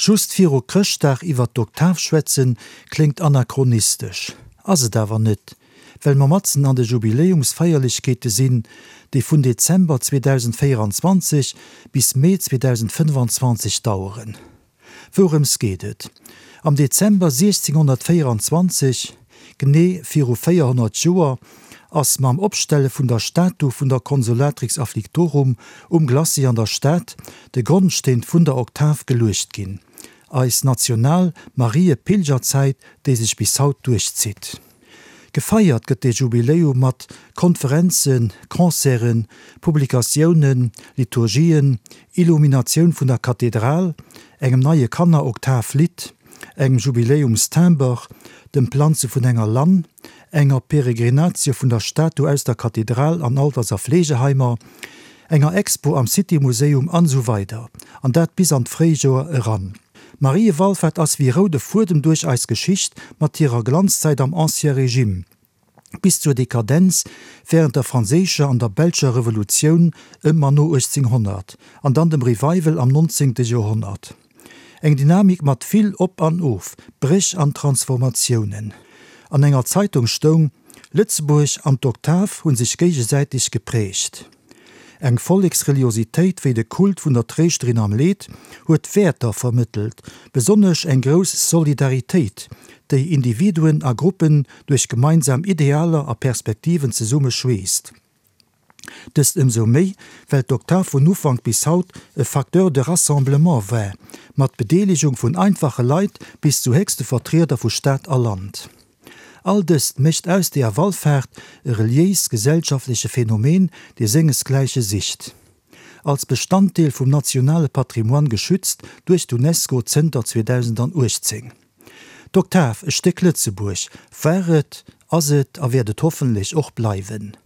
Just viru Chrëschtdag iwwer d'Oktav schwätzen, kléngt anachronistesch. Ass et awer net, well mer matzen an de Jubiläumsfeierlechkeete sinn, déi vun Dezember 2024 bis Mee 2025 daueren. Wourëms geet et? Am Dezember 1624, genee viru 400 Joer, ass mam Opstelle vun der Statu vun der Consolatrix Afflictorum um Glacis an der Stad de Grondsteen vun der Oktav geluecht ginn, eis national Mariepilgerzäit, déi sech bis haut duerchzitt. Gefeiert gëtt dee Jubiläum mat Konferenzen, Concerten, Publikatiounen, Liturgien, Illuminatioun vun der Kathedral, engem neie Kanner-Oktav-Lidd, engem Jubiläumstimber, dem Planze vun enger Lann, enger Peregrinatio vun der Statu aus der Kathedral an Alters a Fleegeheimer, enger Expo am City Museum an esou weider an dat bis an d'Fréijoer eran. D'Mariewallfahrt ass wéi roude Fuedem duerch eis Geschicht mat hirer Glanzzäit am Ancien Régime bis zur Dekadenz während der franséischer an der belscher Revolutioun ëm an no 1800 an dann dem Revival am 19. Joerhonnert. Eng Dynamik mat vill Op an Of, Bréch an Transformatiounen. An enger Zeitung stoung, Lëtzebuerg an d'Oktav hu sech géigesäiteg geprägt. Eng Volleksreliositéit wéi de Kult vun der Tréischterin am Leed huet Wäerter vermëttelt, besonnesch eng grouss Solidaritéit, déi Individuen a Gruppen duerch gemeinsam Idealer a Perspektiven zesumme schweesst. Dëst ëmsou méi, well d'Oktav vun Ufank bis haut e Facteur de rassemblement war, mat Bedeelegung vun einfache Leit bis zu héchste Vertrieder vu Staat a Land. All dëst mécht aus deeër Wallfaart e reliéis-gesellschaftleche Phänomen, dee sengesgläiche sicht. Als Bestanddeel vum nationale Patrimoine geschützt duerch d'UNESCO zënter 2018. D'Oktav, e Stéck Lëtzebuerg, war et, ass et a wäert et hoffentlech och bleiwen.